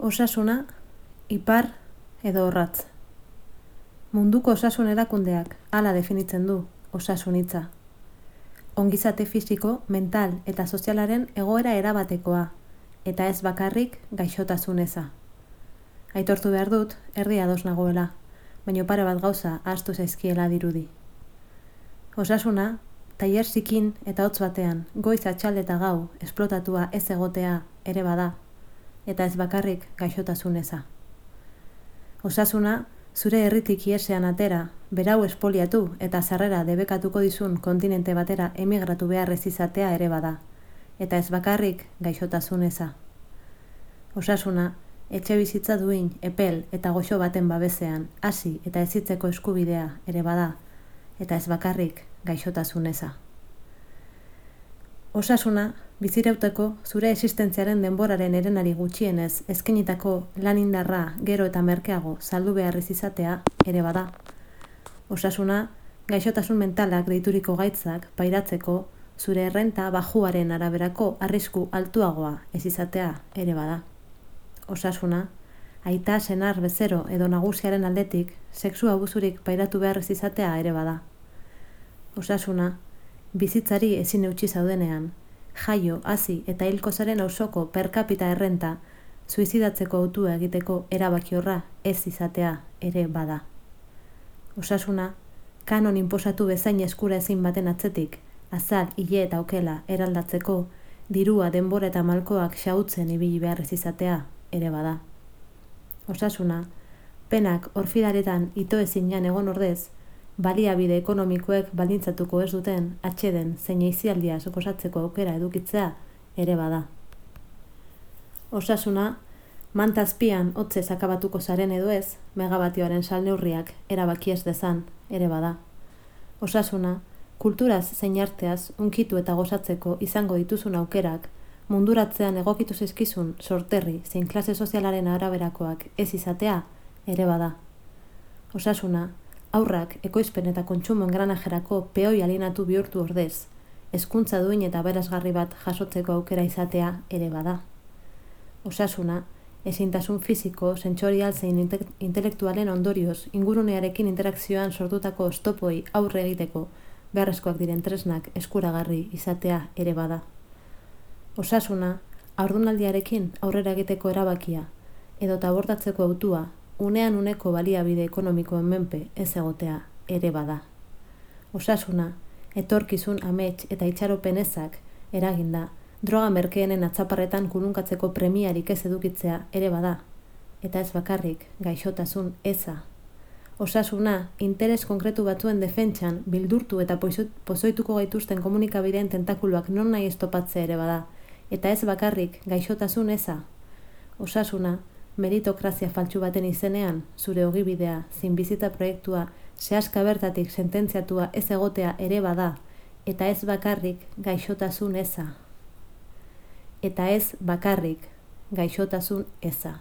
Osasuna, ipar edo orratz. Munduko osasun erakundeak hala definitzen du osasun hitza. Ongizate fisiko, mental eta sozialaren egoera erabatekoa, eta ez bakarrik gaixotasun eza. Aitortu behar dut, erdi ados nagoela, baina pare bat gauza ahaztu zaizkiela dirudi. Osasuna, tailer zikin eta hotz batean, goiz atxalde eta gau, esplotatua ez egotea ere bada, eta ez bakarrik gaixotasun eza. Osasuna, zure herritik iesean atera, berau espoliatu eta sarrera debekatuko dizun kontinente batera emigratu beharrez izatea ere bada, eta ez bakarrik gaixotasun eza. Osasuna, etxe bizitza duin, epel eta goxo baten babesean, hasi eta ezitzeko eskubidea ere bada, eta ez bakarrik gaixotasun eza. Osasuna, bizirauteko zure existentziaren denboraren herenari gutxienez eskainitako lan indarra gero eta merkeago saldu beharrez izatea ere bada. Osasuna, gaixotasun mentalak deituriko gaitzak pairatzeko zure errenta bajuaren araberako arrisku altuagoa ez izatea ere bada. Osasuna, aita, senar, bezero edo nagusiaren aldetik sexu abusurik pairatu beharrez izatea ere bada. Osasuna, bizitzari ezin eutsi zaudenean, jaio, hazi eta hilko zaren auzoko per capita errenta suizidatzeko autua egiteko erabakiorra ez izatea ere bada. Osasuna, kanon inposatu bezain eskura ezin baten atzetik, azal, hile eta okela eraldatzeko, dirua, denbora eta malkoak xautzen ibili beharrez izatea ere bada. Osasuna, penak orfidaretan ito ezinan egon ordez, baliabide ekonomikoek baldintzatuko ez duten atxeden zein eizialdia suposatzeko aukera edukitzea ere bada. Osasuna, mantazpian hotzez akabatuko zaren edo ez, megabatioaren salneurriak erabaki ez dezan ere bada. Osasuna, kulturaz zein arteaz unkitu eta gozatzeko izango dituzun aukerak, munduratzean egokitu zaizkizun sorterri zein klase sozialaren araberakoak ez izatea ere bada. Osasuna, haurrak ekoizpen eta kontsumo engranajerako peoi alienatu bihurtu ordez, hezkuntza duin eta aberasgarri bat jasotzeko aukera izatea ere bada. Osasuna, ezintasun fisiko, sentsorial zein intelektualen ondorioz ingurunearekin interakzioan sortutako oztopoi aurre egiteko beharrezkoak diren tresnak eskuragarri izatea ere bada. Osasuna, haurdunaldiarekin aurrera egiteko erabakia edota abortatzeko autua unean uneko baliabide ekonomikoen menpe ez egotea ere bada. Osasuna, etorkizun amets eta itxaropen ezak eraginda, droga merkeenen atzaparretan kulunkatzeko premiarik ez edukitzea ere bada, eta ez bakarrik gaixotasun eza. Osasuna, interes konkretu batzuen defentsan bildurtu eta pozoituko gaituzten komunikabideen tentakuluak non nahi estopatzea ere bada, eta ez bakarrik gaixotasun eza. Osasuna, meritokrazia faltsu baten izenean, zure ogibidea, zinbizita proiektua, sehaska bertatik sententziatua ez egotea ere bada, eta ez bakarrik gaixotasun eza. Eta ez bakarrik gaixotasun eza.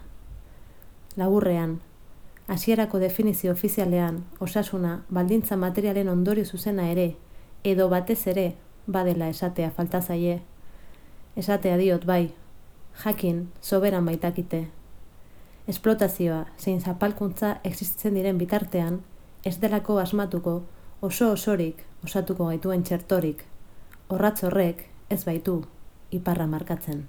Laburrean, hasierako definizio ofizialean, osasuna baldintza materialen ondorio zuzena ere, edo batez ere, badela esatea falta zaie. Esatea diot bai, jakin soberan baitakite. Esplotazioa zein zapalkuntza existitzen diren bitartean, ez delako asmatuko oso osorik osatuko gaituen txertorik, orratz horrek ez baitu iparra markatzen.